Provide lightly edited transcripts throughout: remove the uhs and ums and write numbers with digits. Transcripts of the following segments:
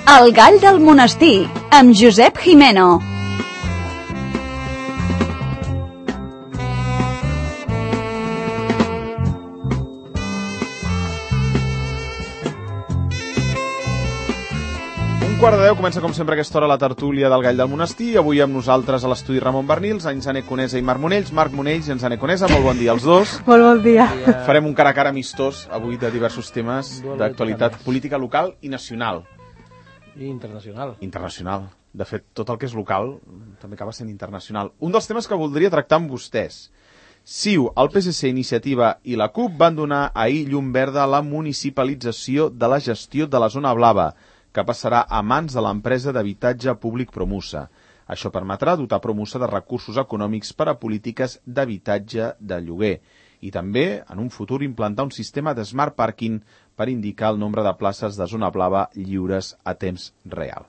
El gall del monestir, amb Josep Jimeno. Un quart de 10 comença com sempre a aquesta hora la tertúlia del gall del monestir. Avui amb nosaltres a l'estudi Ramon Bernils, Anxane Conesa i Marc Monells. Marc Monells i Anxane Conesa, molt bon dia als dos. Molt bon dia. Farem un cara a cara amistós avui de diversos temes d'actualitat política local i nacional. I internacional. Internacional. De fet, tot el que és local també acaba sent internacional. Un dels temes que voldria tractar amb vostès. CiU, el PSC, Iniciativa i la CUP van donar ahir llum verda a la municipalització de la gestió de la zona blava, que passarà a mans de l'empresa d'habitatge públic Promusa. Això permetrà dotar Promusa de recursos econòmics per a polítiques d'habitatge de lloguer i també, en un futur, implantar un sistema de smart parking per indicar el nombre de places de zona blava lliures a temps real.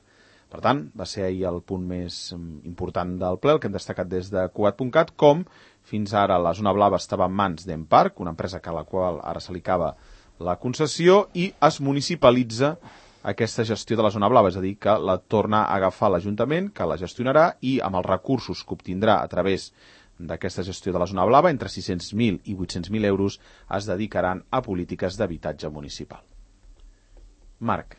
Per tant, va ser ahir el punt més important del ple, el que hem destacat des de Cugat.cat, com fins ara la zona blava estava en mans d'Emparc, una empresa a la qual ara se li acaba la concessió, i es municipalitza aquesta gestió de la zona blava, és a dir, que la torna a agafar l'Ajuntament, que la gestionarà i amb els recursos que obtindrà a través d'aquesta gestió de la zona blava, entre 600.000 i 800.000 euros, es dedicaran a polítiques d'habitatge municipal. Marc,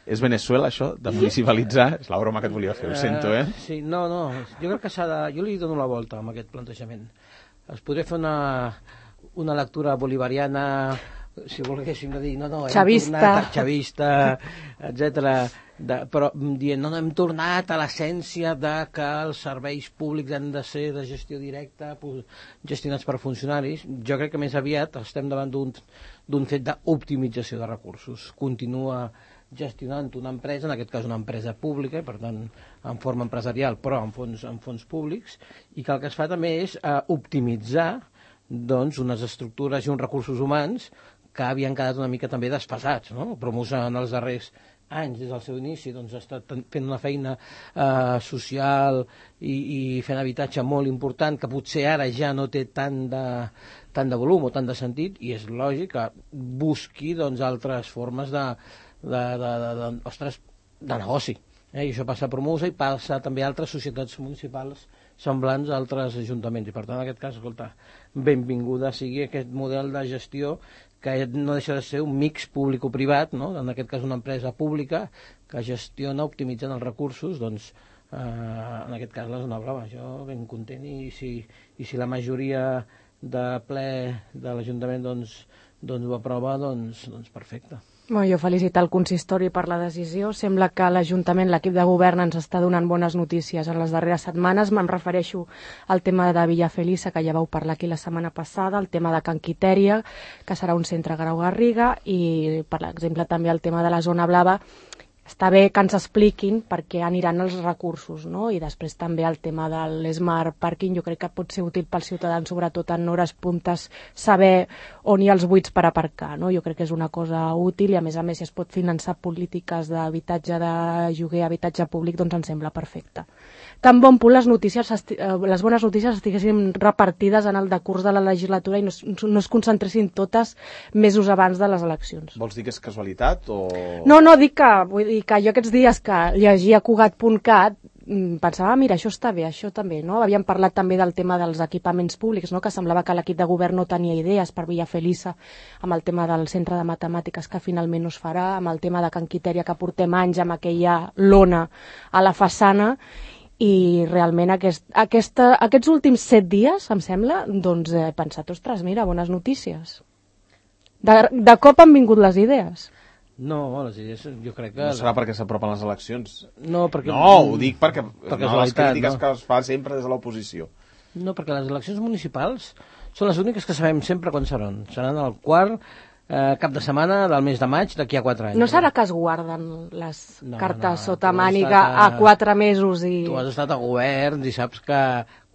és Venezuela això, de municipalitzar? És la broma que et volia fer, ho sento, eh? Sí, no, jo crec que s'ha de... Jo li dono la volta amb aquest plantejament. Es podria fer una lectura bolivariana, si volguéssim dir, xavista, etcètera, però dient, no hem tornat a l'essència de que els serveis públics han de ser de gestió directa, gestionats per funcionaris. Jo crec que més aviat estem davant d'un fet d'optimització de recursos. Continua gestionant una empresa, en aquest cas una empresa pública, per tant en forma empresarial, però en fons públics, i que el que es fa també és optimitzar doncs, unes estructures i uns recursos humans que havien quedat una mica també desfasats, no? Promusa en els darrers anys, des del seu inici, doncs, ha estat fent una feina social i fent habitatge molt important, que potser ara ja no té tant de volum o tant de sentit, i és lògic que busqui doncs, altres formes de negoci. I això passa a Promusa i passa també a altres societats municipals semblants a altres ajuntaments. I per tant, en aquest cas, escolta, benvinguda sigui aquest model de gestió que no deixa de ser un mix público-privat, no? En aquest cas una empresa pública que gestiona optimitzant els recursos, doncs, en aquest cas la zona blava. Jo ben content, i si la majoria de ple de l'Ajuntament doncs ho aprova, doncs perfecte. Jo felicito el consistori per la decisió. Sembla que l'Ajuntament, l'equip de govern, ens està donant bones notícies en les darreres setmanes. Me'n refereixo al tema de Villafelisa, que ja vau parlar aquí la setmana passada, el tema de Can Quitèria, que serà un centre Grau Garriga, i, per exemple, també el tema de la zona blava. Està bé que ens expliquin per què aniran els recursos, no? I després també el tema de l'Smart Parking, jo crec que pot ser útil pels ciutadans, sobretot en hores puntes, saber on hi ha els buits per aparcar, no? Jo crec que és una cosa útil, i a més si es pot finançar polítiques d'habitatge de lloguer, habitatge públic, doncs em sembla perfecte. Tan bon punt les bones notícies estiguessin repartides en el decurs de la legislatura i no es concentressin totes mesos abans de les eleccions. Vols dir que és casualitat o...? No, dic que jo aquests dies que llegia Cugat.cat pensava, mira, això està bé, això també, no? Havíem parlat també del tema dels equipaments públics, no? Que semblava que l'equip de govern no tenia idees per Villafelisa, amb el tema del centre de matemàtiques que finalment no es farà, amb el tema de Can Quitèria, que portem anys amb aquella lona a la façana, i realment aquests últims 7 dies, em sembla, doncs he pensat, ostres, mira, bones notícies. De cop han vingut les idees. No, les idees jo crec que... No serà perquè s'apropen les eleccions. No, ho dic perquè les crítiques que es fa sempre des de l'oposició. No, perquè les eleccions municipals són les úniques que sabem sempre quan seran. Seran el quart cap de setmana del mes de maig d'aquí a 4 anys. No serà que es guarden les cartes sota màniga a 4 mesos i... Tu has estat a govern i saps que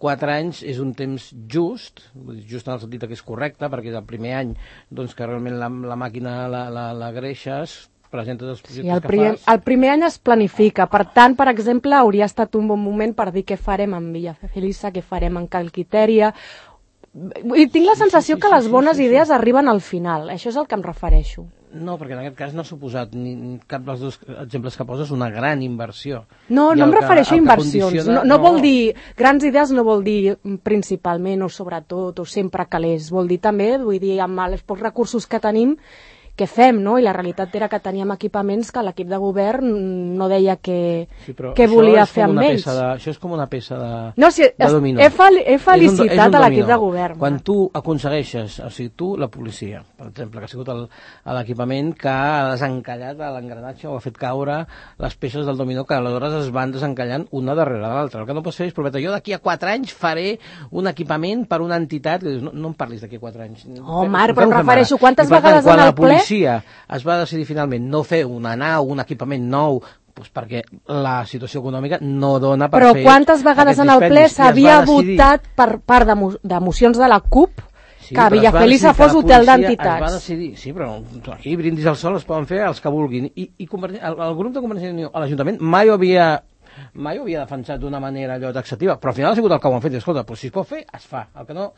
4 anys és un temps just en el sentit que és correcte, perquè és el primer any doncs, que realment la màquina la greixes, presentes els projectes que fas. El primer any es planifica, per tant, per exemple, hauria estat un bon moment per dir què farem amb Villafelisa, què farem en Can Quitèria. I tinc la sensació que les bones idees arriben al final, això és el que em refereixo. No, perquè en aquest cas no ha suposat cap dels dos exemples que poses una gran inversió. No em refereixo a inversions. No vol dir, grans idees no vol dir principalment o sobretot o sempre calés. Vol dir també, vull dir, amb els pocs recursos que tenim, què fem, no? I la realitat era que teníem equipaments que l'equip de govern no deia que volia fer amb ells. Això és com una peça de dominó. He felicitat a l'equip de govern. Quan tu aconsegueixes, o sigui, tu, la policia, per exemple, que ha sigut l'equipament que ha desencallat l'engranatge o ha fet caure les peces del dominó que aleshores es van desencallant una darrere l'altra. El que no pots fer és prometre, jo d'aquí a 4 anys faré un equipament per una entitat. No em parlis d'aquí a 4 anys. Oh, Marc, però em refereixo, quantes vegades en el ple es va decidir finalment no fer una nau, un equipament nou, doncs perquè la situació econòmica no dona per fer... Però quantes vegades en el ple s'havia votat per part de mocions de la CUP que Villafeliça fos hotel d'entitats? Es va decidir, sí, però aquí brindis al sol es poden fer els que vulguin. I el grup de Convergència i Unió a l'Ajuntament mai ho havia defensat d'una manera allò taxativa, però al final ha sigut el que ho han fet. Escolta, però si es pot fer, es fa. El que no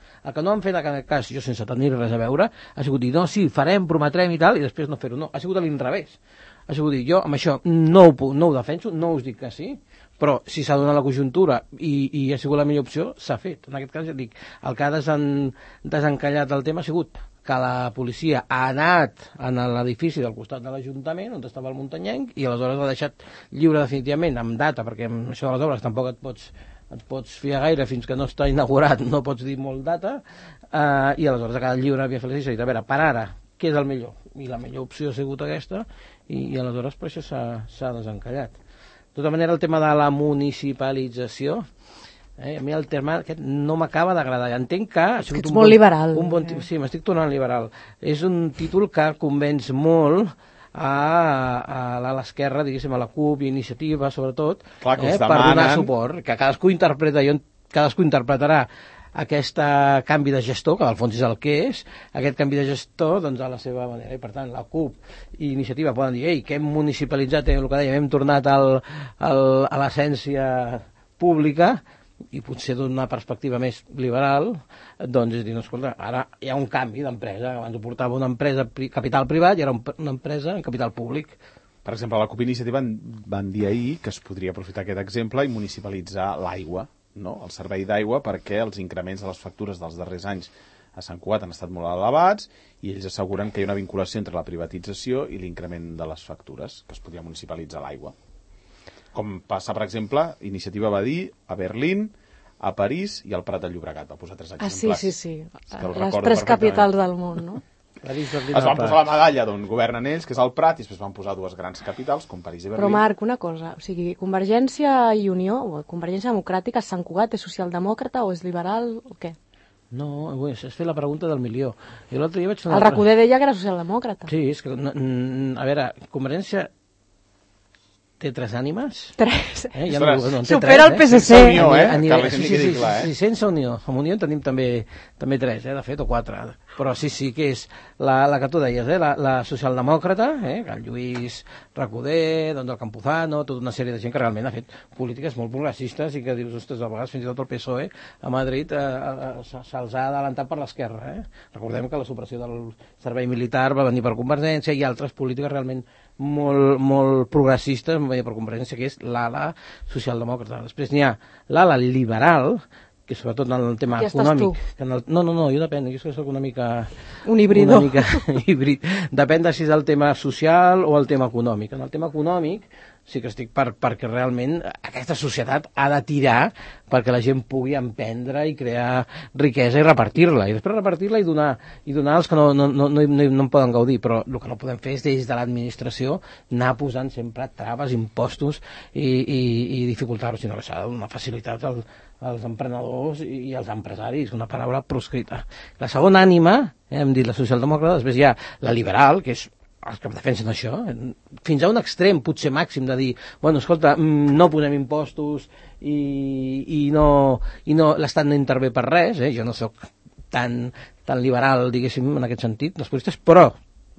han fet en aquest cas, jo sense tenir res a veure, ha sigut dir, no, sí, farem, prometrem i tal, i després no fer-ho. No, ha sigut a l'inrevés. Ha sigut dir, jo amb això no ho defenso, no us dic que sí, però si s'ha donat la conjuntura i ha sigut la millor opció, s'ha fet. En aquest cas, ja dic, el que ha desencallat el tema ha sigut que la policia ha anat a l'edifici del costat de l'Ajuntament, on estava el muntanyenc, i aleshores l'ha deixat lliure definitivament, amb data, perquè amb això de les obres tampoc et pots fiar gaire fins que no està inaugurat, no pots dir molt data, i aleshores ha quedat lliure a Villafeliça i dit, a veure, per ara, què és el millor? I la millor opció ha sigut aquesta, i aleshores per això s'ha desencallat. De tota manera, el tema de la municipalització, a mi el terme aquest no m'acaba d'agradar. Entenc que ha sigut molt liberal. Sí, m'estic tornant liberal. És un títol que convenç molt a l'esquerra, diguéssim, a la CUP i Iniciativa, sobretot, per donar suport, que cadascú interpretarà aquest canvi de gestor, que al fons és el que és, aquest canvi de gestor doncs, a la seva manera. I per tant, la CUP i Iniciativa poden dir, ei, que hem municipalitzat, el que dèiem, hem tornat a l'essència pública, i potser d'una perspectiva més liberal, doncs és dir, no, escolta, ara hi ha un canvi d'empresa, abans ho portava una empresa capital privat i ara una empresa en capital públic. Per exemple, la CUP Iniciativa van dir ahir que es podria aprofitar aquest exemple i municipalitzar l'aigua, no? El servei d'aigua, perquè els increments de les factures dels darrers anys a Sant Cugat han estat molt elevats i ells asseguren que hi ha una vinculació entre la privatització i l'increment de les factures, que es podria municipalitzar l'aigua. Com passa, per exemple, Iniciativa va dir a Berlín, a París i al Prat de Llobregat. Va posar 3 exemples. Sí. Les 3 capitals del món, no? Es van posar la medalla d'on governen ells, que és el Prat, i després van posar 2 grans capitals, com París i Berlín. Però, Marc, una cosa, o sigui, Convergència i Unió, o Convergència Democràtica, Sant Cugat és socialdemòcrata o és liberal o què? No, has fet la pregunta del milió. Jo l'altre dia vaig fer el Recoder deia que era socialdemòcrata. Sí, és que, a veure, Convergència té 3 ànimes? 3. Ja no, supera el PSC. Sense Unió, Sí, sense Unió. Amb Unió en tenim també 3, de fet, o 4. Però sí, que és la que tu deies, la socialdemòcrata, que el Lluís Recoder, doncs el Campuzano, tota una sèrie de gent que realment ha fet polítiques molt progressistes i que dius, ostres, a vegades fins i tot el PSOE a Madrid se'ls ha adelantat per l'esquerra. Recordem que la supressió del servei militar va venir per Convergència i altres polítiques realment molt progressistes per Convergència, que és l'ala socialdemòcrata. Després n'hi ha l'ala liberal, que sobretot en el tema econòmic... No, jo depèn, jo soc una mica... Un híbrido. Una mica híbrid. Depèn de si és el tema social o el tema econòmic. En el tema econòmic sí que estic perquè realment aquesta societat ha de tirar perquè la gent pugui emprendre i crear riquesa i repartir-la. I després repartir-la i donar als que no en poden gaudir. Però el que no podem fer és des de l'administració anar posant sempre traves, impostos i dificultar-ho, sinó que s'ha de donar facilitat als emprenedors i als empresaris, una paraula proscrita. La segona ànima, hem dit la socialdemòcrata, després hi ha la liberal, que és els que defensen això, fins a un extrem potser màxim de dir, bueno, escolta, no posem impostos i l'Estat no intervé per res, jo no sóc tan liberal, diguéssim, en aquest sentit, els policies, però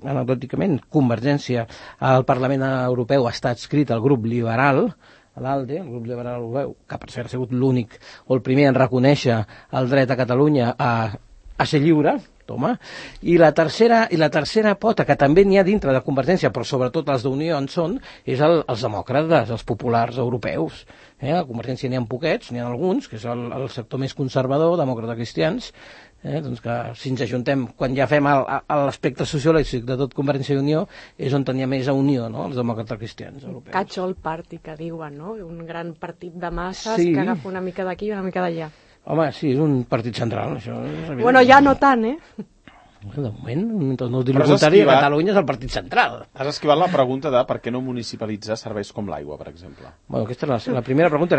anecdòticament, Convergència al Parlament Europeu està adscrit al grup liberal, a l'ALDE, el grup liberal europeu, que per cert ha sigut l'únic o el primer en reconèixer el dret a Catalunya a ser lliure, toma. I la tercera pota, que també n'hi ha dintre de Convergència, però sobretot els d'Unió en són, és els demòcrates, els populars europeus. A Convergència n'hi ha poquets, n'hi ha alguns, que és el sector més conservador, demòcrates cristians, doncs que si ens ajuntem, quan ja fem l'aspecte sociològic de tot Convergència i Unió, és on tenia més a Unió, no?, els demòcrates cristians europeus. Catch-all party, que diuen, no? Un gran partit de masses que agafa una mica d'aquí i una mica d'allà. Home, sí, és un partit central, això. Bueno, ja no tant, De moment, mentre no ho digui el contrari, Catalunya és el partit central. Has esquivat la pregunta de per què no municipalitzar serveis com l'aigua, per exemple. Bueno, aquesta és la primera pregunta.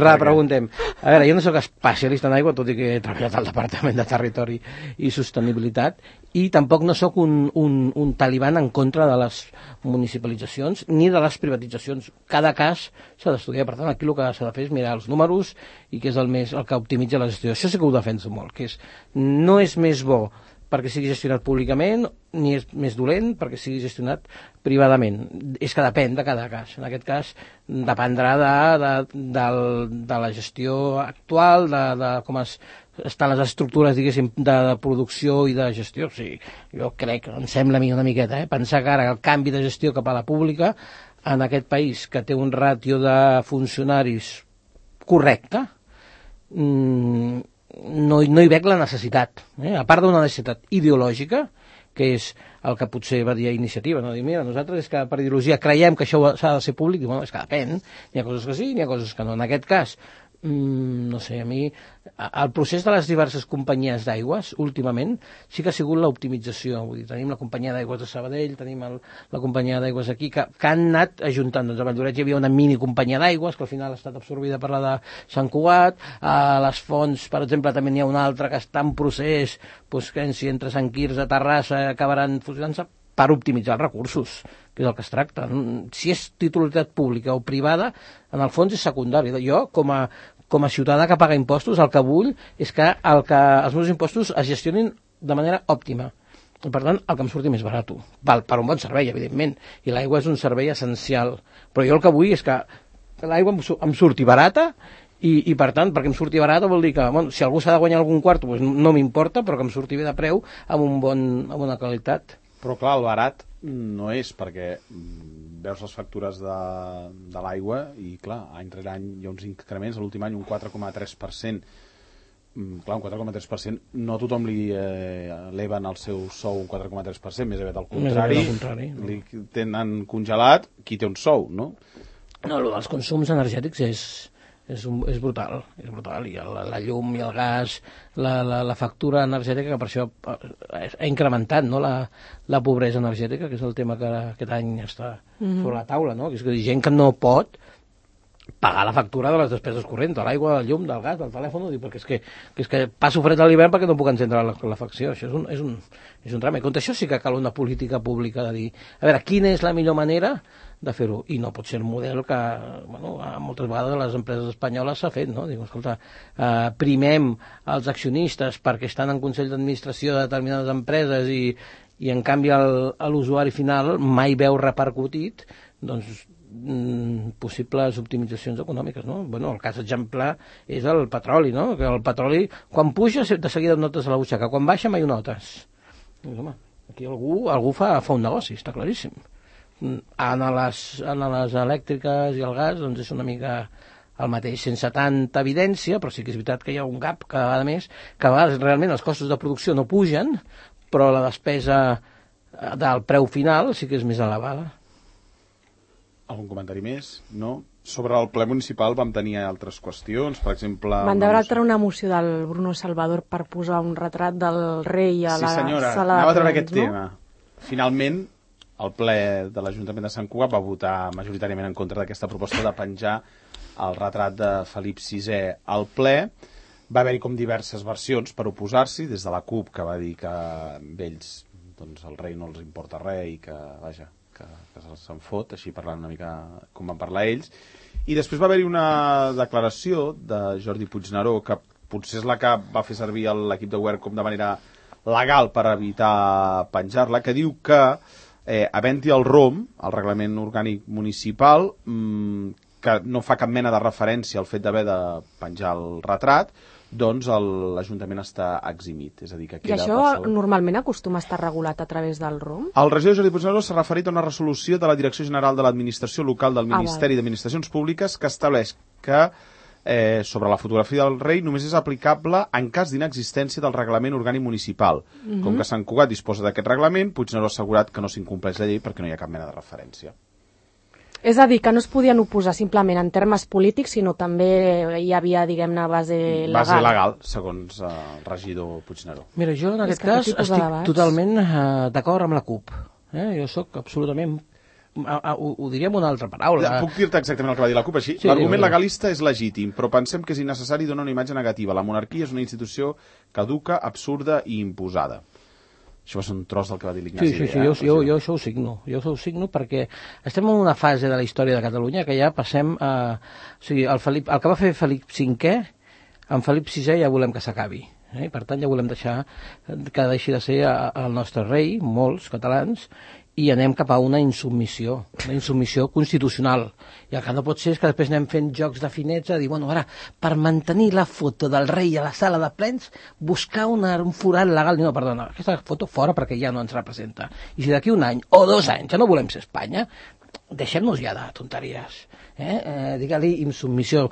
Repreguntem. A veure, jo no soc especialista en aigua, tot i que he treballat al Departament de Territori i Sostenibilitat, i tampoc no sóc un taliban en contra de les municipalitzacions ni de les privatitzacions. Cada cas s'ha d'estudiar. Per tant, aquí el que s'ha de fer és mirar els números i què és el que optimitza la gestió. Això sí que ho defenso molt, que no és més bo perquè sigui gestionat públicament, ni és més dolent perquè sigui gestionat privadament. És que depèn de cada cas. En aquest cas dependrà de la gestió actual, de com estan les estructures, diguéssim, de producció i de gestió. O sigui, jo crec, em sembla a mi una miqueta, pensar que ara el canvi de gestió cap a la pública en aquest país que té un ràtio de funcionaris correcte, no hi veig la necessitat, a part d'una necessitat ideològica, que és el que potser va dir a Iniciativa, no? Dir, mira, nosaltres és que per ideologia creiem que això s'ha de ser públic, i bueno, és que depèn, n'hi ha coses que sí, n'hi ha coses que no. En aquest cas, no sé, a mi el procés de les diverses companyies d'aigües últimament sí que ha sigut l'optimització. Vull dir, tenim la companyia d'aigües de Sabadell, tenim la companyia d'aigües aquí, que han anat ajuntant. Doncs a Valldoreix hi havia una mini companyia d'aigües que al final ha estat absorbida per la de Sant Cugat. A les Fonts, per exemple, també n'hi ha una altra que està en procés, doncs que si entre Sant Quirze, Terrassa acabaran fusionant-se per optimitzar els recursos, que és el que es tracta. Si és titularitat pública o privada, en el fons és secundari. Jo, com a ciutadà que paga impostos, el que vull és que els meus impostos es gestionin de manera òptima. I, per tant, el que em surti més barat. Per un bon servei, evidentment. I l'aigua és un servei essencial. Però jo el que vull és que l'aigua em surti barata i, per tant, perquè em surti barata vol dir que, bueno, si algú s'ha de guanyar algun quart, doncs no m'importa, però que em surti bé de preu amb una qualitat. Però clar, el barat no és, perquè veus les factures de l'aigua i clar, any rere any hi ha uns increments, l'últim any un 4,3%. Clar, un 4,3%, no a tothom li eleven el seu sou un 4,3%, més aviat al contrari, li tenen congelat qui té un sou, no? No, el dels consums energètics és brutal, i la llum i el gas, la factura energètica, que per això ha incrementat, no?, la pobresa energètica, que és el tema que aquest any està sobre la taula, no?, que és que gent que no pot pagar la factura de les despeses corrents, de l'aigua, del llum, del gas, del telèfon, perquè és que passo fred a l'hivern perquè no puc encendre la calefacció. Això és un drama. I contra això sí que cal una política pública de dir, a veure, quina és la millor manera de fer-ho, i no pot ser el model que, bueno, moltes vegades les empreses espanyoles s'ha fet, no? Diu, escolta, primem els accionistes perquè estan en consell d'administració de determinades empreses i en canvi l'usuari final mai veu repercutit, doncs, possibles optimitzacions econòmiques, no? Bueno, el cas exemplar és el petroli, no? Que el petroli, quan puja, de seguida notes a la butxaca, quan baixa mai ho notes. Doncs, home, aquí algú fa un negoci, està claríssim. En les elèctriques i el gas, doncs és una mica el mateix, sense tanta evidència, però sí que és veritat que hi ha un gap cada vegada més, que a vegades realment els costos de producció no pugen, però la despesa del preu final sí que és més elevada. Algun comentari més? No? Sobre el ple municipal vam tenir altres qüestions, per exemple... Van debatre una moció del Bruno Salvador per posar un retrat del rei a la sala de plens, no? Sí, senyora, anava a treure aquest tema. Finalment, el ple de l'Ajuntament de Sant Cugat va votar majoritàriament en contra d'aquesta proposta de penjar el retrat de Felip VI al ple. Va haver-hi com diverses versions per oposar-s'hi, des de la CUP, que va dir que a ells doncs, el rei no els importa res i que, vaja, que se'n fot, així parlant una mica com van parlar ells. I després va haver-hi una declaració de Jordi Puigneró, que potser és la que va fer servir l'equip de govern com de manera legal per evitar penjar-la, que diu que, havent-hi el ROM, el Reglament Orgànic Municipal, que no fa cap mena de referència al fet d'haver de penjar el retrat, doncs l'Ajuntament està eximit. És a dir, que I això normalment acostuma a estar regulat a través del ROM? El regidor Jordi Puigneró s'ha referit a una resolució de la Direcció General de l'Administració Local del Ministeri d'Administracions Públiques que estableix que sobre la fotografia del rei només és aplicable en cas d'inexistència del reglament orgànic municipal. Com que Sant Cugat disposa d'aquest reglament, Puigneró ha assegurat que no s'incompleix la llei perquè no hi ha cap mena de referència. És a dir, que no es podien oposar simplement en termes polítics, sinó també hi havia, diguem-ne, base legal. Base legal, segons el regidor Puigneró. Mira, jo en aquest cas estic totalment d'acord amb la CUP. Jo sóc absolutament... Ho diria amb una altra paraula. Puc dir-te exactament el que va dir la CUP així? Sí, l'argument legalista és legítim, però pensem que és innecessari donar una imatge negativa. La monarquia és una institució caduca, absurda i imposada. Això va ser un tros del que va dir l'Ignasi. Sí, jo això ho signo. Jo ho signo perquè estem en una fase de la història de Catalunya que ja passem a... O sigui, el que va fer Felip V, amb Felip VI ja volem que s'acabi. Per tant, ja volem deixar que deixi de ser el nostre rei, molts catalans, i anem cap a una insubmissió constitucional. I el que no pot ser és que després anem fent jocs de finets a dir, bueno, ara, per mantenir la foto del rei a la sala de plens, buscar un forat legal. No, perdona, aquesta foto fora perquè ja no ens representa. I si d'aquí un any o 2 anys ja no volem ser Espanya, deixem-nos ja de tonteries. Digue-li insubmissió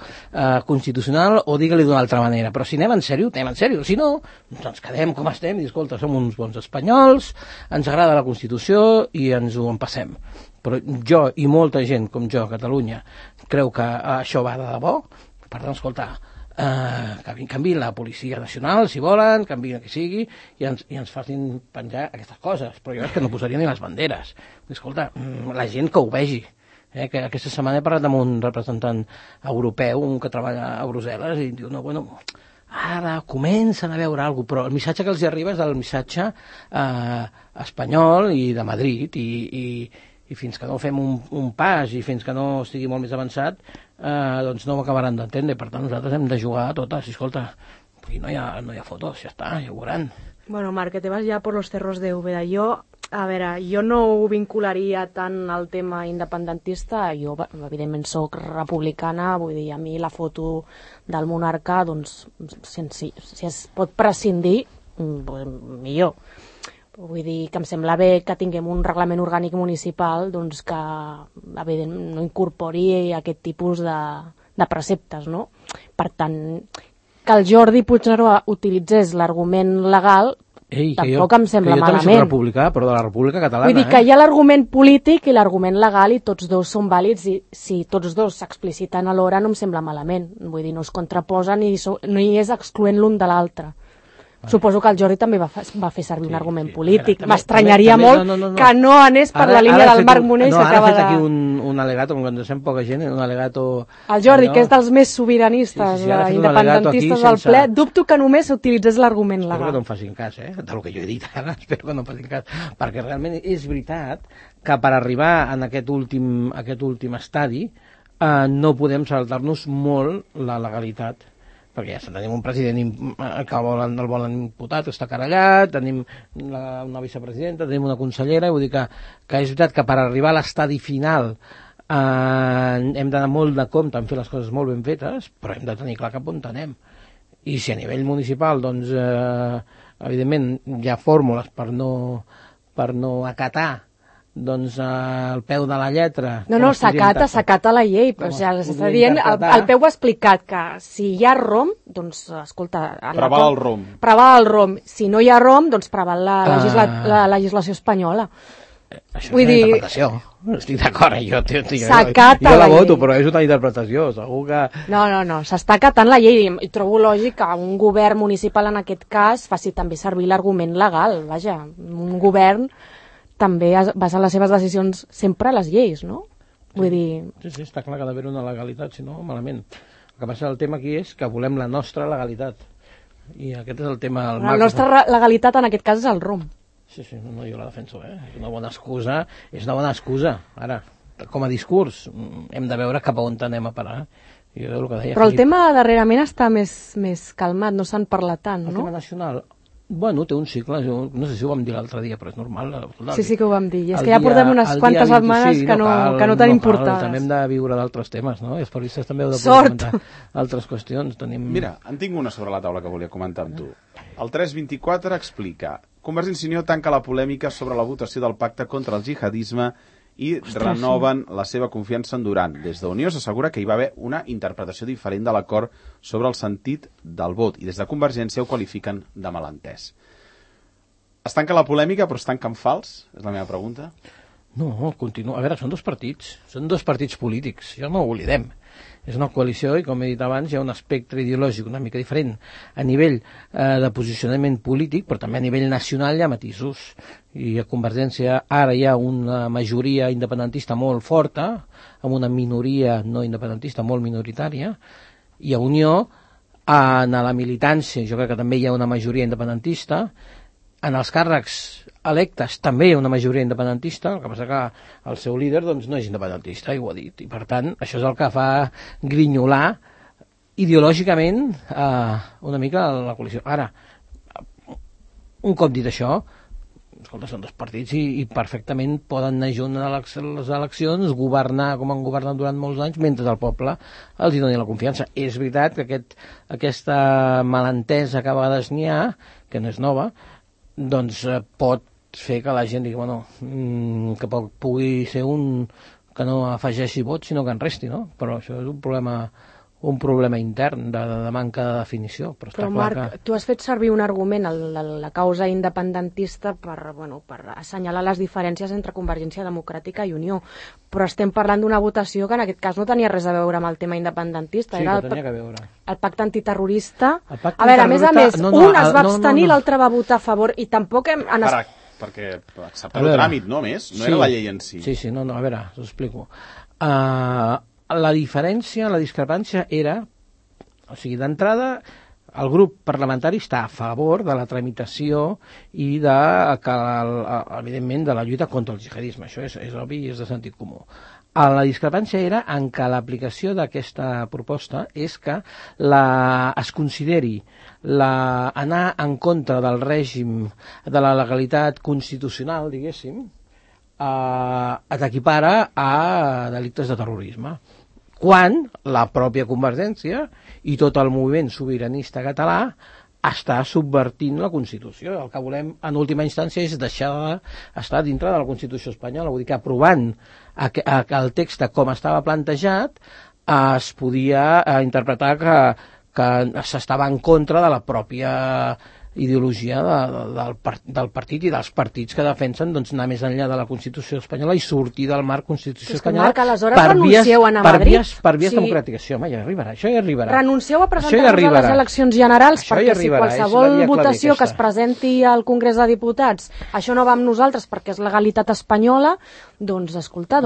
constitucional o digue-li d'una altra manera, però si anem en sèrio, anem en sèrio, si no ens quedem com estem i escolta, som uns bons espanyols, ens agrada la Constitució i ens ho empassem. Però jo i molta gent com jo a Catalunya creu que això va de debò. Per tant, escolta, canviïn la Policia Nacional si volen, canviïn el que sigui i ens facin penjar aquestes coses, però jo és que no posaria ni les banderes. Escolta, la gent que ho vegi. Que aquesta setmana he parlat amb un representant europeu, un que treballa a Brussel·les, i diu, no, bueno, ara comencen a veure alguna cosa, però el missatge que els arriba és el missatge espanyol i de Madrid, i fins que no fem un pas i fins que no estigui molt més avançat, doncs no ho acabaran d'entendre. Per tant, nosaltres hem de jugar a totes. I escolta, no hi ha fotos, ja està, ja ho veuran. Bueno, Marc, que te vas ja por los cerros de Úbeda. A veure, jo no ho vincularia tant al tema independentista, jo evidentment soc republicana, vull dir, a mi la foto del monarca, doncs, si es pot prescindir, millor. Vull dir que em sembla bé que tinguem un reglament orgànic municipal doncs que, evidentment, no incorpori aquest tipus de preceptes, no? Per tant, que el Jordi Puigneró utilitzés l'argument legal tampoc em sembla malament. Jo també soc republicà, però de la República Catalana. Vull dir que hi ha l'argument polític i l'argument legal i tots dos són vàlids i si tots dos s'expliciten alhora no em sembla malament. Vull dir, no es contraposen i no hi és excloent l'un de l'altre. Suposo que el Jordi també va fer servir un argument polític. M'estranyaria molt que no anés per la línia del Marc Monell. No, ara ha fet aquí un alegato, com quan sent poca gent, un alegato... El Jordi, que és dels més sobiranistes, independentistes del ple, dubto que només s'utilitzés l'argument legal. Espero que no em facin cas, del que jo he dit ara, espero que no em facin cas, perquè realment és veritat que per arribar en aquest últim estadi no podem saltar-nos molt la legalitat, perquè ja tenim un president que el volen imputat, que està querellat, tenim una vicepresidenta, tenim una consellera, i vull dir que és veritat que per arribar a l'estadi final hem d'anar molt de compte en fer les coses molt ben fetes, però hem de tenir clar cap on anem. I si a nivell municipal, doncs, evidentment, hi ha fórmules per no acatar doncs al peu de la lletra... No, s'acata la llei. O sigui, està dient, el peu ha explicat que si hi ha ROM, doncs, escolta... Preval el ROM. Preval el ROM. Si no hi ha ROM, doncs preval la legislació espanyola. Això és una interpretació. Estic d'acord, jo la voto, però és una interpretació, segur que... No, s'està acatant la llei i trobo lògic que un govern municipal en aquest cas faci també servir l'argument legal. Vaja, un govern també basa les seves decisions sempre a les lleis, no? Vull dir... Sí, està clar que ha d'haver una legalitat, si no, malament. El que passa, el tema aquí és que volem la nostra legalitat. I aquest és el tema... La nostra legalitat en aquest cas és el ROM. Sí, no, jo la defenso, És una bona excusa. Ara, com a discurs, hem de veure cap a on anem a parar. Però el tema darrerament està més calmat, no se'n parla tant, no? El tema nacional... Bueno, té un cicle, no sé si ho vam dir l'altre dia, però és normal. Sí que ho vam dir, i és que ja portem unes quantes setmanes que no tenim portades. També hem de viure d'altres temes, no? I els periodistes també heu de poder comentar altres qüestions. Mira, en tinc una sobre la taula que volia comentar amb tu. El 324 explica: Convergència i Unió tanca la polèmica sobre la votació del pacte contra el jihadisme i renoven la seva confiança en Duran. Des d'Unió s'assegura que hi va haver una interpretació diferent de l'acord sobre el sentit del vot i des de Convergència ho qualifiquen de malentès. Es tanca la polèmica però es tanca en fals? És la meva pregunta. No, continua. A veure, són dos partits polítics, ja no ho oblidem. És una coalició i, com he dit abans, hi ha un espectre ideològic una mica diferent a nivell de posicionament polític, però també a nivell nacional hi ha matisos. I a Convergència ara hi ha una majoria independentista molt forta, amb una minoria no independentista molt minoritària, i a Unió, en la militància, jo crec que també hi ha una majoria independentista, en els càrrecs electes també hi ha una majoria independentista, el que passa que el seu líder doncs, no és independentista, i ho ha dit, i per tant això és el que fa grinyolar ideològicament una mica la coalició. Ara, un cop dit això, escolta, són dos partits i perfectament poden anar junts a les eleccions, governar com han governat durant molts anys, mentre el poble els hi doni la confiança. És veritat que aquesta malentesa que a vegades n'hi ha, que no és nova, doncs pot fer que la gent digui, bueno, que pugui ser un que no afegeixi vots, sinó que en resti, no? Però això és un problema intern de manca de definició. Però Marc, tu has fet servir un argument a la causa independentista per assenyalar les diferències entre Convergència Democràtica i Unió, però estem parlant d'una votació que en aquest cas no tenia res a veure amb el tema independentista. Sí, que tenia que veure. El pacte antiterrorista. A veure, a més, un es va abstenir, l'altre va votar a favor, i tampoc hem... Perquè acceptar el tràmit, no més? No era la llei en si. Sí, no, a veure, us explico. La diferència, la discrepància era, o sigui, d'entrada, el grup parlamentari està a favor de la tramitació i evidentment, de la lluita contra el jihadisme. Això és obvi i és de sentit comú. La discrepància era en què l'aplicació d'aquesta proposta és que es consideri anar en contra del règim de la legalitat constitucional, diguéssim, t'equipara a delictes de terrorisme, quan la pròpia Convergència i tot el moviment sobiranista català està subvertint la Constitució. El que volem, en última instància, és deixar d'estar dintre de la Constitució espanyola. Vull dir que aprovant el text com estava plantejat es podia interpretar que s'estava en contra de la pròpia ideologia del partit i dels partits que defensen anar més enllà de la Constitució espanyola i sortir del marc Constitució espanyola per vies democràtiques. Sí, home, ja arribarà, això ja arribarà. Renuncieu a presentar-vos a les eleccions generals perquè si qualsevol votació que es presenti al Congrés de Diputats això no va amb nosaltres perquè és legalitat espanyola, doncs escolta,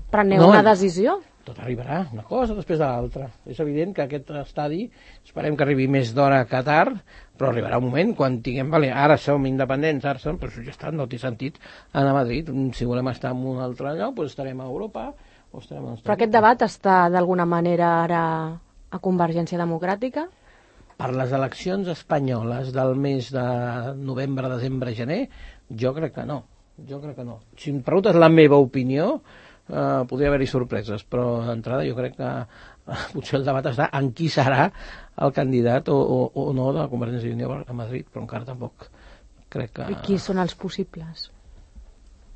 preneu una decisió. Tot arribarà, una cosa després de l'altra. És evident que aquest estadi esperem que arribi més d'hora que tard, però arribarà un moment quan tinguem... Ara som independents, però ja està, no té sentit anar a Madrid. Si volem estar en un altre lloc, doncs estarem a Europa o estarem a... Però aquest debat està d'alguna manera ara a Convergència Democràtica? Per les eleccions espanyoles del mes de novembre, desembre, gener, jo crec que no. Si em preguntes la meva opinió, podria haver-hi sorpreses, però d'entrada jo crec que potser el debat està en qui serà el candidat o no de Convergència i Unió a Madrid, però encara tampoc crec que... I qui són els possibles?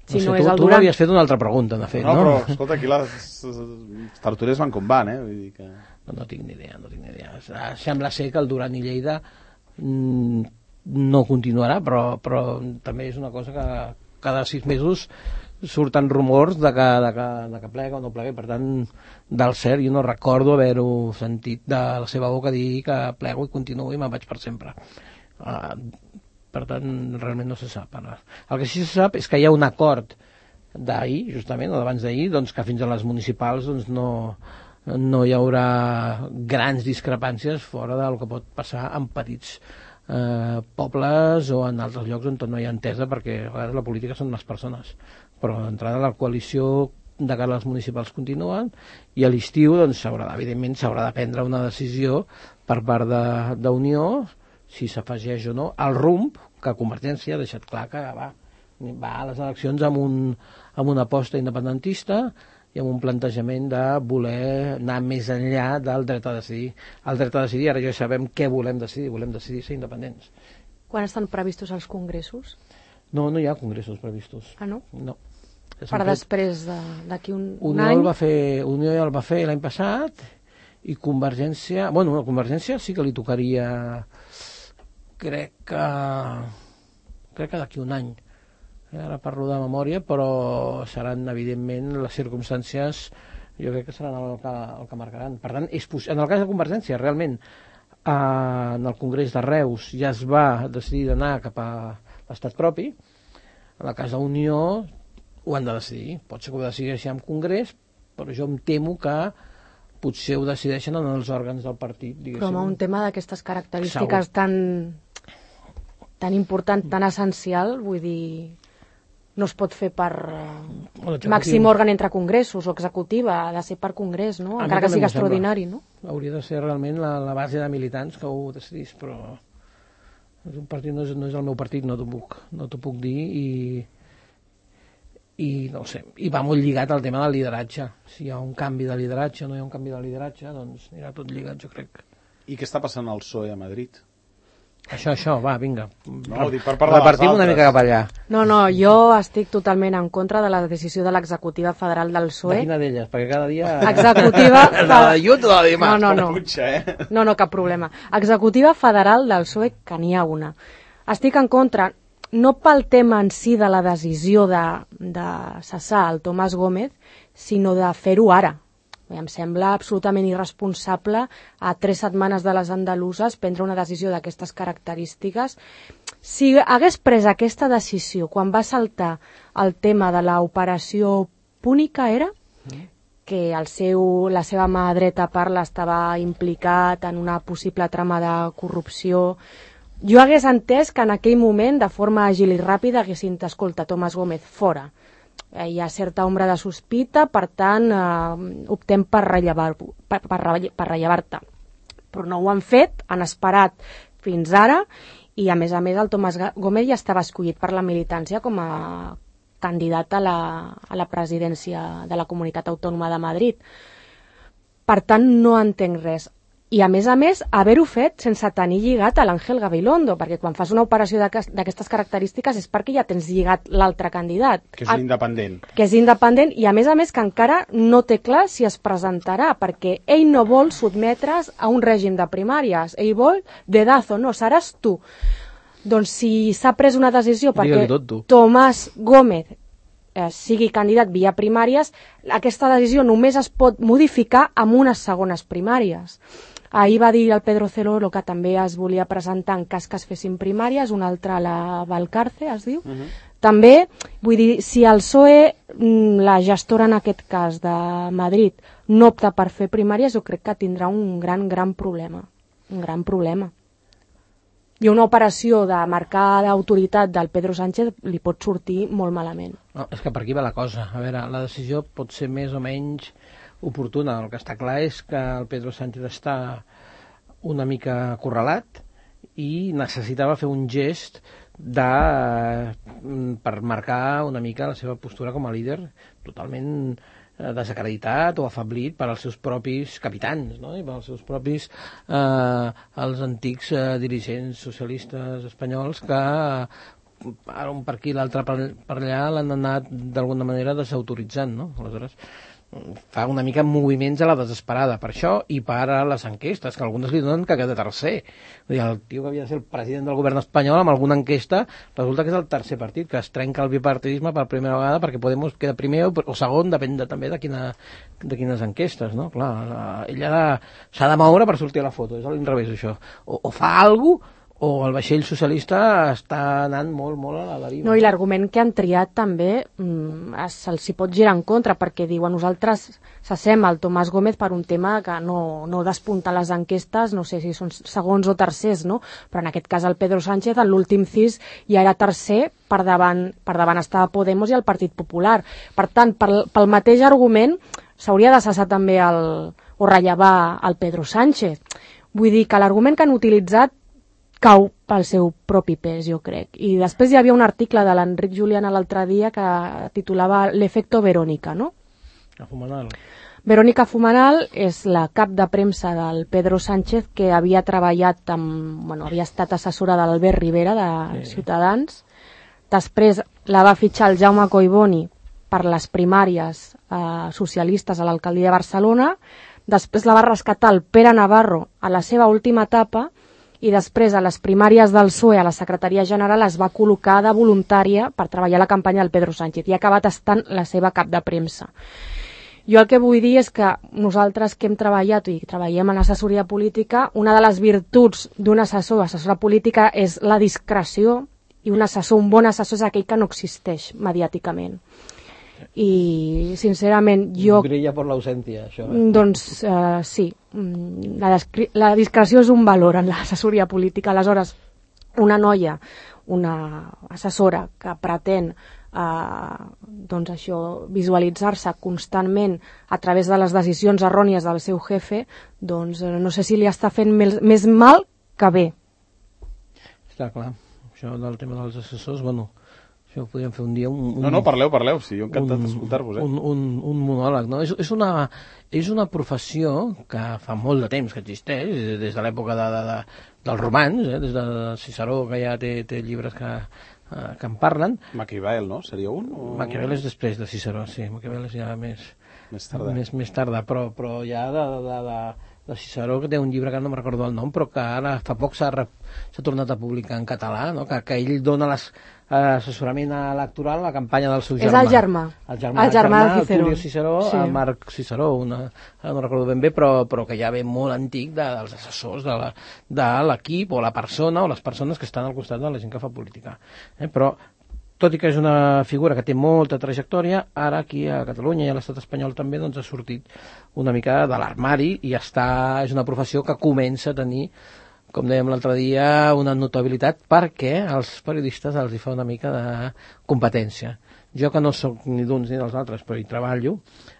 Si no és el Duran... Tu m'havies fet una altra pregunta, de fet, no? No, però escolta, aquí les tertúlies van com van, Vull dir que... No tinc ni idea. Sembla ser que el Duran i Lleida no continuarà, però també és una cosa que cada 6 mesos surten rumors de que plega o no plega, i per tant del cert jo no recordo haver-ho sentit de la seva boca dir que plego i continuo i me'n vaig per sempre. Per tant realment no se sap ara. El que sí se sap és que hi ha un acord d'ahir, justament, o d'abans d'ahir, doncs que fins a les municipals doncs no hi haurà grans discrepàncies fora del que pot passar en petits pobles o en altres llocs on no hi ha entesa, perquè a vegades la política són les persones, però d'entrada la coalició de cara a les municipals continuen i a l'estiu doncs evidentment s'haurà de prendre una decisió per part d'Unió si s'afegeix o no, el rumb que Convergència ha deixat clar que va a les eleccions amb una aposta independentista i amb un plantejament de voler anar més enllà del dret a decidir. El dret a decidir, ara ja sabem què volem decidir ser independents. Quan estan previstos els congressos? No hi ha congressos previstos. Ah, no? No. Per després d'aquí un Unió any? Unió el va fer l'any passat i Convergència... Bueno, a Convergència sí que li tocaria... Crec que d'aquí un any. Ara parlo de memòria, però seran, evidentment, les circumstàncies, jo crec que seran el que marcaran. Per tant, en el cas de Convergència, realment, en el Congrés de Reus ja es va decidir d'anar cap a l'estat propi. En el cas d'Unió ho han de decidir. Pot ser que ho decideixi en Congrés, però jo em temo que potser ho decideixen en els òrgans del partit. Però amb un tema d'aquestes característiques tan important, tan essencial, vull dir... no es pot fer per màxim òrgan entre congressos o executiva, ha de ser per congrés, no? Encara que sigui extraordinari, no? Hauria de ser realment la base de militants que ho decidís, però un partit no és el meu partit, no t'ho puc dir i no ho sé, i va molt lligat al tema del lideratge. Si hi ha un canvi de lideratge o no hi ha un canvi de lideratge, doncs anirà tot lligat, jo crec. I què està passant al PSOE a Madrid? Això, va, vinga. No, dic per parlar repartim una mica cap allà. No, jo estic totalment en contra de la decisió de l'executiva federal del PSOE. De quina d'elles? Perquè cada dia... Executiva... La de Llut o la de Dimarts? No, cap problema. Executiva federal del PSOE, que n'hi ha una. Estic en contra, no pel tema en si de la decisió de cessar el Tomàs Gómez, sinó de fer-ho ara. Em sembla absolutament irresponsable a 3 setmanes de les andaluses prendre una decisió d'aquestes característiques. Si hagués pres aquesta decisió quan va saltar el tema de l'operació Púnica, era que la seva mà dreta parla estava implicat en una possible trama de corrupció, jo hagués entès que en aquell moment, de forma àgil i ràpida, haguessin dit, escolta, Tomàs Gómez, fora. Hi ha certa ombra de sospita, per tant, optem per rellevar-te. Però no ho han fet, han esperat fins ara, i a més el Tomàs Gómez ja estava escollit per la militància com a candidat a la presidència de la Comunitat Autònoma de Madrid. Per tant, no entenc res. I a més, haver-ho fet sense tenir lligat a l'Àngel Gabilondo, perquè quan fas una operació d'aquestes característiques és perquè ja tens lligat l'altre candidat. Que és independent. Que és independent i a més que encara no té clar si es presentarà, perquè ell no vol sotmetre's a un règim de primàries, ell vol dedazo, no, seràs tu. Doncs si s'ha pres una decisió perquè Tomàs Gómez sigui candidat via primàries, aquesta decisió només es pot modificar amb unes segones primàries. Ahir va dir el Pedro Celoro que també es volia presentar en cas que es fessin primàries, un altre a la Valcarce, es diu. També, vull dir, si el PSOE, la gestora en aquest cas de Madrid, no opta per fer primàries, jo crec que tindrà un gran problema. Un gran problema. I una operació de marcar l'autoritat del Pedro Sánchez li pot sortir molt malament. No, és que per aquí va la cosa. A veure, la decisió pot ser més o menys oportuna. El que està clar és que el Pedro Sánchez està una mica acorralat i necessitava fer un gest per marcar una mica la seva postura com a líder totalment desacreditat o afablit per als seus propis capitans, no? I per als seus propis els antics dirigents socialistes espanyols que ara un per aquí l'altre per allà l'han anat d'alguna manera desautoritzant, no? Aleshores fa una mica moviments a la desesperada per això i per a les enquestes, que algunes li donen que queda tercer. Vull dir, el tio que havia de ser el president del govern espanyol amb alguna enquesta resulta que és el tercer partit, que es trenca el bipartidisme per primera vegada perquè Podemos queda primer o segon, depèn també de quines enquestes, no? Clar, ella s'ha de moure per sortir a la foto, és a l'inrevés això. O fa alguna cosa o el vaixell socialista està anant molt a la deriva. No, i l'argument que han triat també se'ls hi pot girar en contra, perquè diuen nosaltres cessem el Tomàs Gómez per un tema que no despunta les enquestes, no sé si són segons o tercers, no? Però en aquest cas el Pedro Sánchez en l'últim CIS ja era tercer, per davant estava Podemos i el Partit Popular. Per tant, pel mateix argument s'hauria de cessar també o rellevar el Pedro Sánchez. Vull dir que l'argument que han utilitzat cau pel seu propi pes, jo crec. I després hi havia un article de l'Enric Juliana l'altre dia que titulava L'efecto Verónica, no? Fumanal. Verónica Fumanal és la cap de premsa del Pedro Sánchez, que havia treballat havia estat assessora de l'Albert Rivera de Ciutadans. Després la va fitxar el Jaume Collboni per les primàries socialistes a l'alcaldia de Barcelona. Després la va rescatar el Pere Navarro a la seva última etapa i després a les primàries del PSOE a la secretaria general es va col·locar de voluntària per treballar la campanya del Pedro Sánchez i ha acabat estant la seva cap de premsa. Jo el que vull dir és que nosaltres que hem treballat i treballem en assessoria política, una de les virtuts d'un assessora política és la discreció i un bon assessor és aquell que no existeix mediàticament. I sincerament jo... Brilla per l'ausència, això. Doncs sí, la discreció és un valor en l'assessoria política. Aleshores, una noia, una assessora que pretén doncs això, visualitzar-se constantment a través de les decisions errònies del seu jefe, doncs no sé si li està fent més mal que bé. Està clar, això del tema dels assessors, això ho podríem fer un dia... No, parleu, sí, jo encantat d'escoltar-vos. Un monòleg, no? És una professió que fa molt de temps que existeix, des de l'època dels romans, des de Ciceró, que ja té llibres que en parlen. Maquiavel, no? Seria un? Maquiavel és després de Ciceró, sí. Maquiavel és ja més tarda, però ja de Ciceró, que té un llibre que no me'n recordo el nom, però que ara fa poc s'ha tornat a publicar en català, no? que ell dona assessorament electoral a la campanya del seu germà. És el germà. El germà de Ciceró. Tulio Ciceró, sí. El Marc Ciceró, ara no recordo ben bé, però que ja ve molt antic dels assessors de l'equip o la persona o les persones que estan al costat de la gent que fa política. Però tot i que és una figura que té molta trajectòria, ara aquí a Catalunya i a l'estat espanyol també doncs, ha sortit una mica de l'armari i és una professió que comença a tenir, com dèiem l'altre dia, una notabilitat perquè als periodistes els hi fa una mica de competència. Jo que no soc ni d'uns ni dels altres, però hi treballo,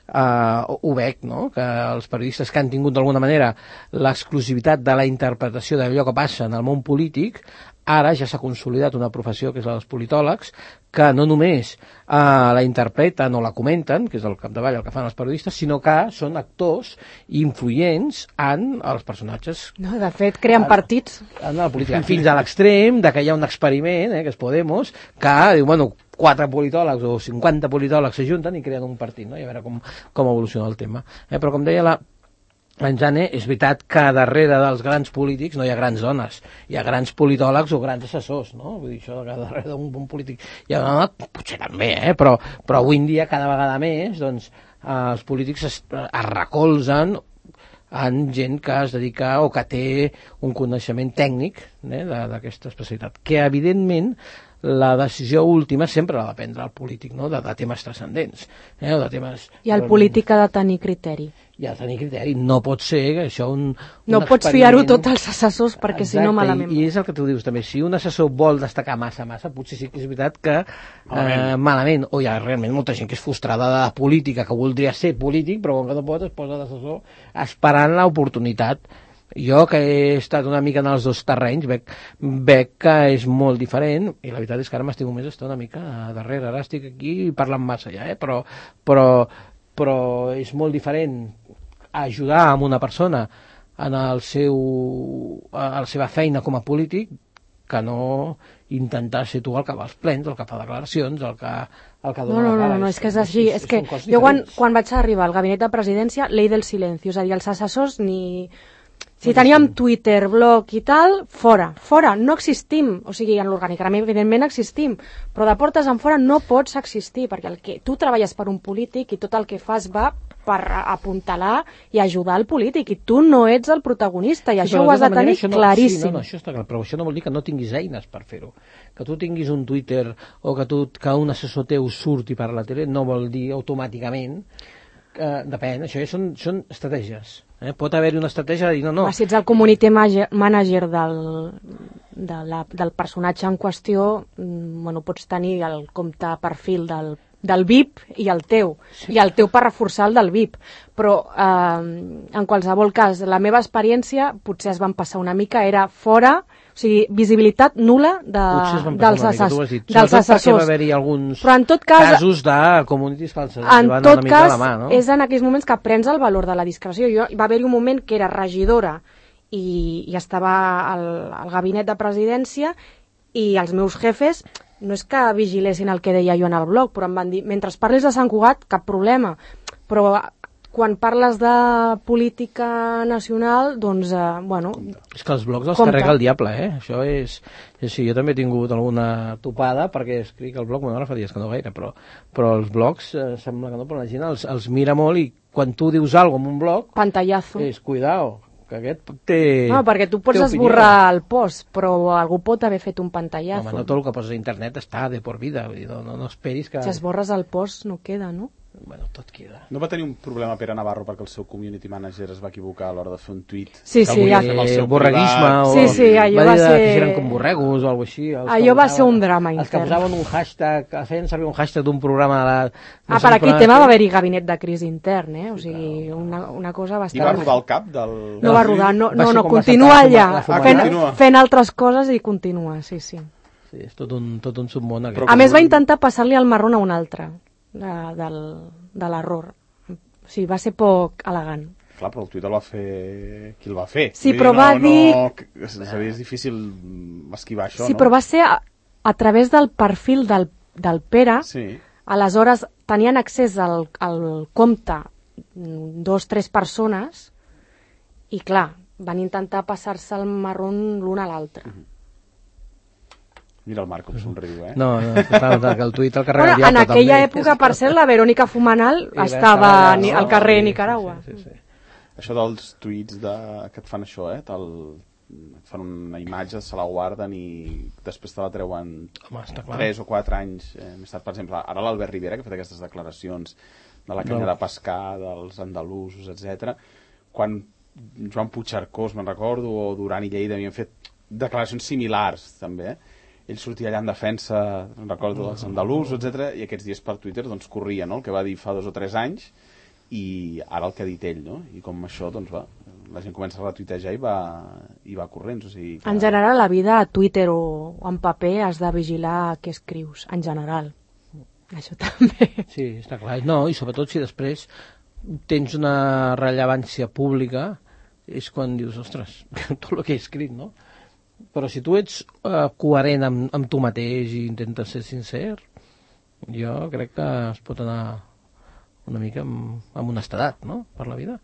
ho veig, no? Que els periodistes que han tingut d'alguna manera l'exclusivitat de la interpretació d'allò que passa en el món polític, ara ja s'ha consolidat una professió que és la dels politòlegs, que no només la interpreten o la comenten, que és el capdavall el que fan els periodistes, sinó que són actors influents en els personatges. No, de fet, creen partits. En la política, fins a l'extrem de que hi ha un experiment, que és Podemos, que diu, 4 politòlegs o 50 politòlegs s'ajunten i creen un partit, no? I a veure com evoluciona el tema. Però com deia en Jane, és veritat que darrere dels grans polítics no hi ha grans dones, hi ha grans politòlegs o grans assessors, no? Vull dir, això que darrere d'un bon polític hi ha una dona, potser també, però avui en dia cada vegada més doncs, els polítics es recolzen en gent que es dedica o que té un coneixement tècnic d'aquesta especialitat, que evidentment la decisió última sempre l'ha de prendre el polític, no? de temes transcendents. De temes... I el polític ha de tenir criteri. I ha de tenir criteri. No pot ser que això no pots fiar-ho tot als assessors perquè si no malament. I és el que tu dius també. Si un assessor vol destacar massa, potser sí que és veritat que malament. O hi ha realment molta gent que és frustrada de la política, que voldria ser polític, però com que no pot es posa d'assessor esperant l'oportunitat. Jo, que he estat una mica en els dos terrenys, veig que és molt diferent, i la veritat és que ara m'estimo més estar una mica darrere. Ara estic aquí parlant massa ja, però és molt diferent ajudar a una persona en a la seva feina com a polític que no intentar ser tu el que va als plens, el que fa declaracions, el que dona la cara. No, és que és així. És que jo quan vaig arribar al gabinet de presidència, llei del silenci, és a dir, els assessors ni... Si teníem Twitter, blog i tal, fora, no existim. O sigui, en l'organigrama evidentment existim, però de portes en fora no pots existir, perquè tu treballes per un polític i tot el que fas va per apuntalar i ajudar el polític, i tu no ets el protagonista, i això ho has de tenir claríssim. Sí, això està clar, però això no vol dir que no tinguis eines per fer-ho. Que tu tinguis un Twitter o que un assessor teu surti per la tele no vol dir automàticament... Depèn, això són estratègies. Pot haver-hi una estratègia de dir no. Si ets el community manager del personatge en qüestió, pots tenir el compte perfil del VIP i el teu, sí. I el teu per reforçar el del VIP, però en qualsevol cas, la meva experiència potser es van passar una mica, era fora, o sigui, visibilitat nul·la dels assessors. Perquè va haver-hi alguns casos de communities falses. En tot cas, és en aquells moments que prens el valor de la discreció. Va haver-hi un moment que era regidora i estava al gabinet de presidència i els meus jefes no és que vigilessin el que deia jo en el blog, però em van dir, mentre parlis de Sant Cugat, cap problema. Però quan parles de política nacional, doncs, bueno... És que els blogs els carrega el diable, Això és... Sí, jo també he tingut alguna topada, perquè escric al blog, bueno, ara fa dies que no gaire, però els blogs sembla que no, però la gent els mira molt i quan tu dius alguna cosa en un blog... Pantallazo. És, cuidao, que aquest té... No, perquè tu pots esborrar el post, però algú pot haver fet un pantallazo. Home, no tot el que poses a internet està de por vida, vull dir, no esperis que... Si esborres el post no queda, no? Bueno, tot queda. No va tenir un problema Pere Navarro perquè el seu community manager es va equivocar a l'hora de fer un tuit? Sí, borreguisme o... Sí, allò va ser... que eren com borregos o alguna cosa així. Allò va ser un drama intern. Els que posaven un hashtag, feien servir un hashtag d'un programa... Per aquell tema va haver-hi gabinet de crisi intern, O sigui, una cosa bastant... I va rodar el cap del... No va rodar, no, continua allà, fent altres coses i continua, sí. Sí, és tot un submón. A més va intentar passar-li el marrón a un altre. De l'error. O sigui, va ser poc elegant. Clar, però el tuit el va fer qui el va fer. Sí, però va dir... És difícil esquivar això, sí, però va ser a través del perfil del Pere. Sí. Aleshores, tenien accés al compte 2 o 3 persones i, clar, van intentar passar-se el marrón l'un a l'altre. Mira el Marc com somriu, No, que el tuit el carrega el diable. En aquella època, per cert, la Verònica Fumanal estava al carrer de Nicaragua. Sí. Això dels tuits que et fan això, et fan una imatge, se la guarden i després te la treuen 3 o 4 anys més tard. Per exemple, ara l'Albert Rivera, que ha fet aquestes declaracions de la canya de pescar, dels andalusos, etc. Quan Joan Puigcercós, me'n recordo, o Duran i Lleida havien fet declaracions similars, també, ell sortia allà en defensa, recordo, dels andalusos, etc. I aquests dies per Twitter doncs, corria, no?, el que va dir fa 2 o 3 anys i ara el que ha dit ell, no? I com això, doncs va, la gent comença a retuitejar i va corrents. O sigui, en general, la vida a Twitter o en paper has de vigilar què escrius, en general. Això també. Sí, està clar. No, i sobretot si després tens una rellevància pública és quan dius, ostres, tot el que he escrit, no? Però si tu ets coherent amb tu mateix i intentes ser sincer, jo crec que es pot anar una mica amb honestedat, no?, per la vida.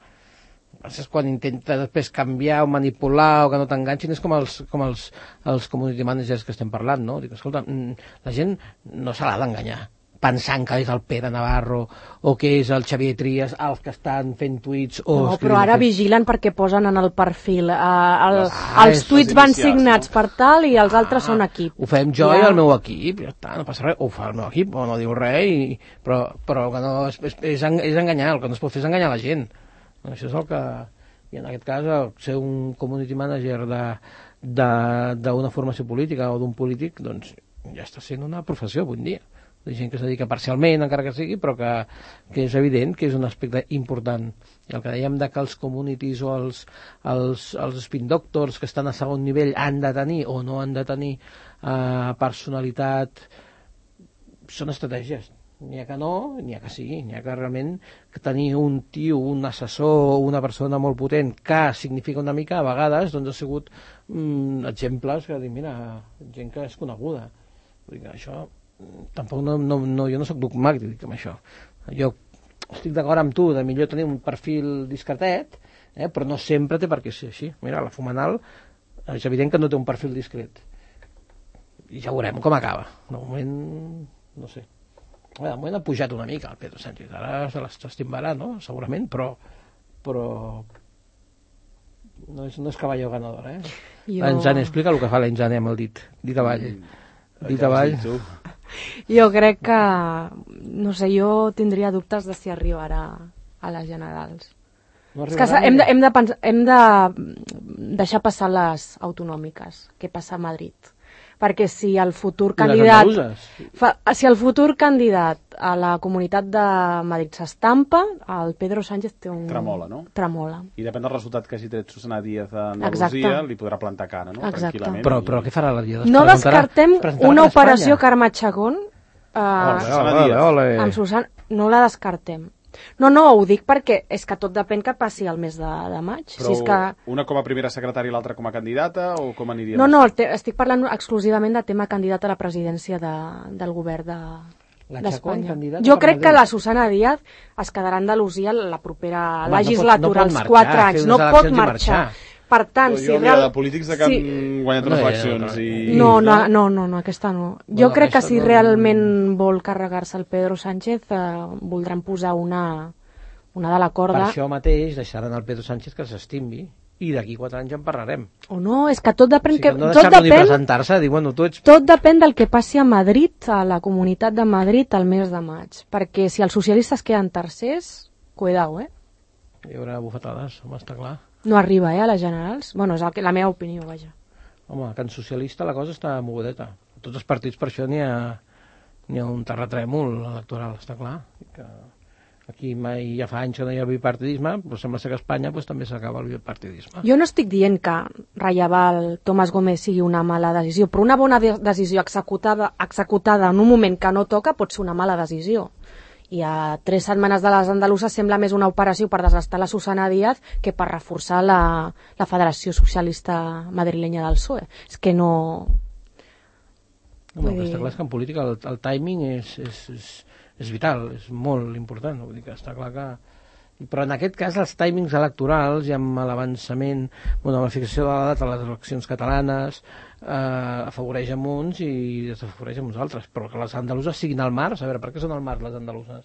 És quan intenta després canviar o manipular o que no t'enganxin, és com els community managers que estem parlant, no? Dic, escolta, la gent no se l'ha d'enganyar pensant que és el Pere Navarro o que és el Xavier Trias els que estan fent tuits o... No, però ara vigilen perquè posen en el perfil els tuits van signats per tal i els altres són equip. Ho fem jo i el meu equip, ja està, no passa res, ho fa el meu equip o no diu res, però que no és enganyar, el que no es pot fer és enganyar la gent. Això és el que... I en aquest cas, ser un community manager d'una formació política o d'un polític, doncs ja està sent una professió avui en dia. De gent que es dedica parcialment, encara que sigui, però que és evident que és un aspecte important. I el que dèiem de que els communities o els spin doctors que estan a segon nivell han de tenir o no han de tenir personalitat, són estratègies. N'hi ha que no, n'hi ha que sí, n'hi ha que realment tenir un tio, un assessor, una persona molt potent que significa una mica, a vegades, doncs ha sigut exemples que dic, mira, gent que és coneguda. Vull dir que això... Tampoc jo no soc dogmàtic amb això. Jo estic d'acord amb tu de millor tenir un perfil discretet, però no sempre té per què ser així. Mira, la Fumanal és evident que no té un perfil discret i ja veurem com acaba. De moment, no sé, de moment ha pujat una mica el Pedro Sánchez, ara se l'estimbarà, no? Segurament, però no és cavalló ganador, L'Enzane, explica el que fa l'Enzane amb el dit avall. Dit avall. Jo crec que, no sé, jo tindria dubtes de si arribarà a les generals. No, és que hem de deixar passar les autonòmiques, què passa a Madrid. perquè si el futur candidat a la Comunitat de Madrid s'estampa, el Pedro Sánchez té un... Tremola, no? Tremola. I depèn del resultat que hagi tret Susana Díaz a Andalusia, li podrà plantar cara, no? Tranquil·lament. Però què farà la Díaz? No descartem una operació Carme Chacón amb Susana... No la descartem. No, ho dic perquè és que tot depèn que passi el mes de maig. Però si és que... una com a primera secretària i l'altra com a candidata, o com aniria? No, estic parlant exclusivament de tema candidat a la presidència del govern d'Espanya. Jo crec que la Susana Díaz es quedarà a Andalusia la propera legislatura, als 4 anys. No pot marxar. Per tant, si de polítics de que han guanyat unes eleccions i... No, aquesta no. Jo crec que si realment vol carregar-se el Pedro Sánchez voldran posar una de la corda. Per això mateix deixaran el Pedro Sánchez que s'estimbi i d'aquí 4 anys en parlarem. O no, és que tot depèn... No deixar-lo ni presentar-se, dir, bueno, tu ets... Tot depèn del que passi a Madrid, a la Comunitat de Madrid, al mes de maig. Perquè si els socialistes queden tercers, cuidao, Hi haurà bufetades, home, està clar. No arriba, a les generals. Bueno, és la meva opinió, vaja. Home, que en socialista la cosa està mogudeta. A tots els partits per això n'hi ha un terratrèmol electoral, està clar. Que aquí mai ja fa anys que no hi ha bipartidisme, però sembla ser que a Espanya també s'acaba el bipartidisme. Jo no estic dient que rellevar el Tomàs Gómez sigui una mala decisió, però una bona decisió executada en un moment que no toca pot ser una mala decisió. I a 3 setmanes de les andaluses sembla més una operació per desgastar la Susana Díaz que per reforçar la Federació Socialista Madrilenya del PSOE. És que no... Està clar que en política el timing és vital, és molt important. Vull dir que està clar que... Però en aquest cas els timings electorals i amb l'avançament, amb la fixació de la data a les eleccions catalanes afavoreix amb uns i desafavoreix amb uns altres, però que les andaluses siguin al març, a veure, per què són al març les andaluses?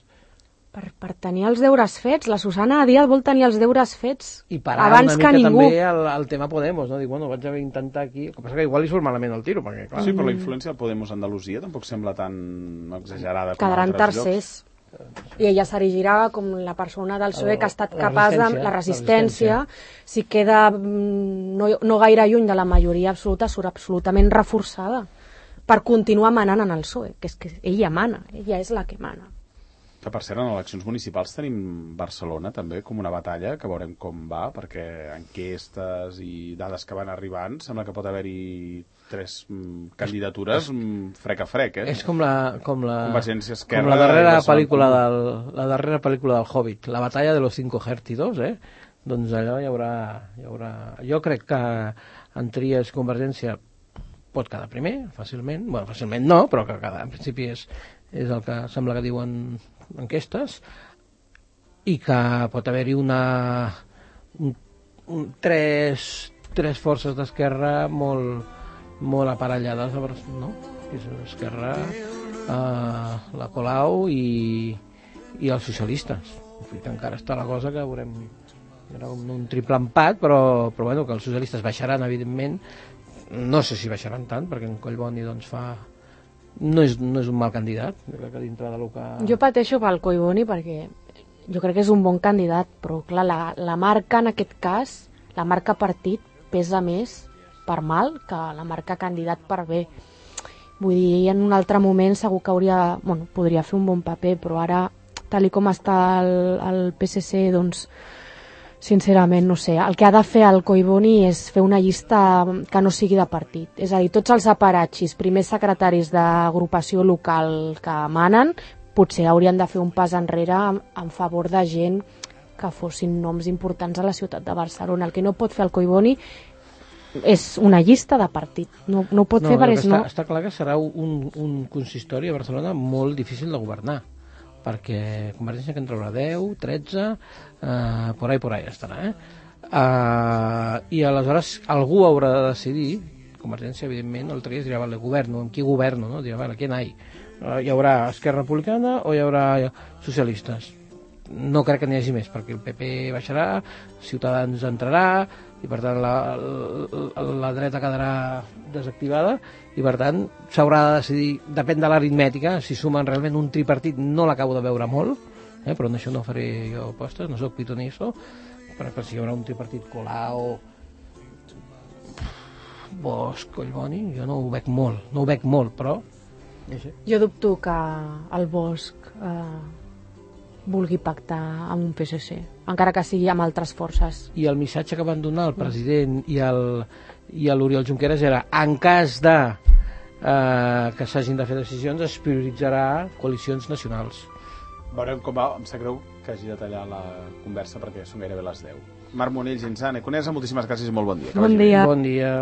Per tenir els deures fets. La Susana Díaz vol tenir els deures fets i parar abans una mica que ningú. També el tema Podemos, no? Dic, bueno, vaig haver d'intentar aquí, el que passa que igual li surt malament el tiro, perquè clar... Sí, però la influència del Podemos a Andalusia tampoc sembla tan exagerada com quedaran altres tercers llocs. I ella s'erigirà com la persona del PSOE que ha estat capaç de la resistència. Si queda no gaire lluny de la majoria absoluta, surt absolutament reforçada per continuar manant en el PSOE, que és que ella mana, ella és la que mana. Que per cert, en eleccions municipals tenim Barcelona també com una batalla, que veurem com va, perquè enquestes i dades que van arribant sembla que pot haver-hi 3 candidatures frec a frec, És com la Convergència Esquerra, com la darrera pel·lícula del Hobbit, la batalla de los 5 ejércitos, doncs allò hi haurà... Jo crec que en tries Convergència pot quedar primer, fàcilment. Bueno, fàcilment no, però que en principi és el que sembla que diuen enquestes, i que pot haver-hi tres forces d'esquerra molt aparellades, no? És Esquerra, la Colau i els socialistes. Encara està la cosa que veurem un triple empat, però bueno, que els socialistes baixaran, evidentment. No sé si baixaran tant, perquè en Collboni doncs no és un mal candidat. Que dintre de lo que... Jo pateixo pel Collboni perquè jo crec que és un bon candidat, però clar, la marca en aquest cas, la marca partit pesa més per mal que la marca candidat per bé. Vull dir, en un altre moment segur que podria fer un bon paper, però ara, tal com està el PSC, doncs sincerament, no sé, el que ha de fer el Collboni és fer una llista que no sigui de partit. És a dir, tots els aparatxis, primers secretaris d'agrupació local que manen, potser haurien de fer un pas enrere en favor de gent que fossin noms importants a la ciutat de Barcelona. El que no pot fer el Collboni és una llista de partit. No ho pot fer perquè no... Està clar que serà un consistori a Barcelona molt difícil de governar, perquè Convergència que en traurà 10, 13, por ahí estarà, i aleshores algú haurà de decidir. Convergència, evidentment, el tria dirà, vale, governo, amb qui governo, no? Dirà, vale, ¿quién hay? Hi haurà Esquerra Republicana o hi haurà socialistes? No crec que n'hi hagi més, perquè el PP baixarà, Ciutadans entrarà, i per tant la dreta quedarà desactivada, i per tant s'haurà de decidir, depèn de l'aritmètica, si sumen realment un tripartit. No l'acabo de veure molt, però en això no faré jo apostes, no soc pitonisso, però si hi haurà un tripartit Colau, Bosch, Collboni, jo no ho veig molt, però... Jo dubto que el Bosch vulgui pactar amb un PSC, encara que sigui amb altres forces. I el missatge que van donar el president i l'Oriol Junqueras era, en cas de que s'hagin de fer decisions, es prioritzarà coalicions nacionals. Veurem com va, em sap greu que hagi de tallar la conversa perquè són gairebé les 10. Marc Monell, Ginsane, Conesa, moltíssimes gràcies i molt bon dia. Bon dia. Bon dia.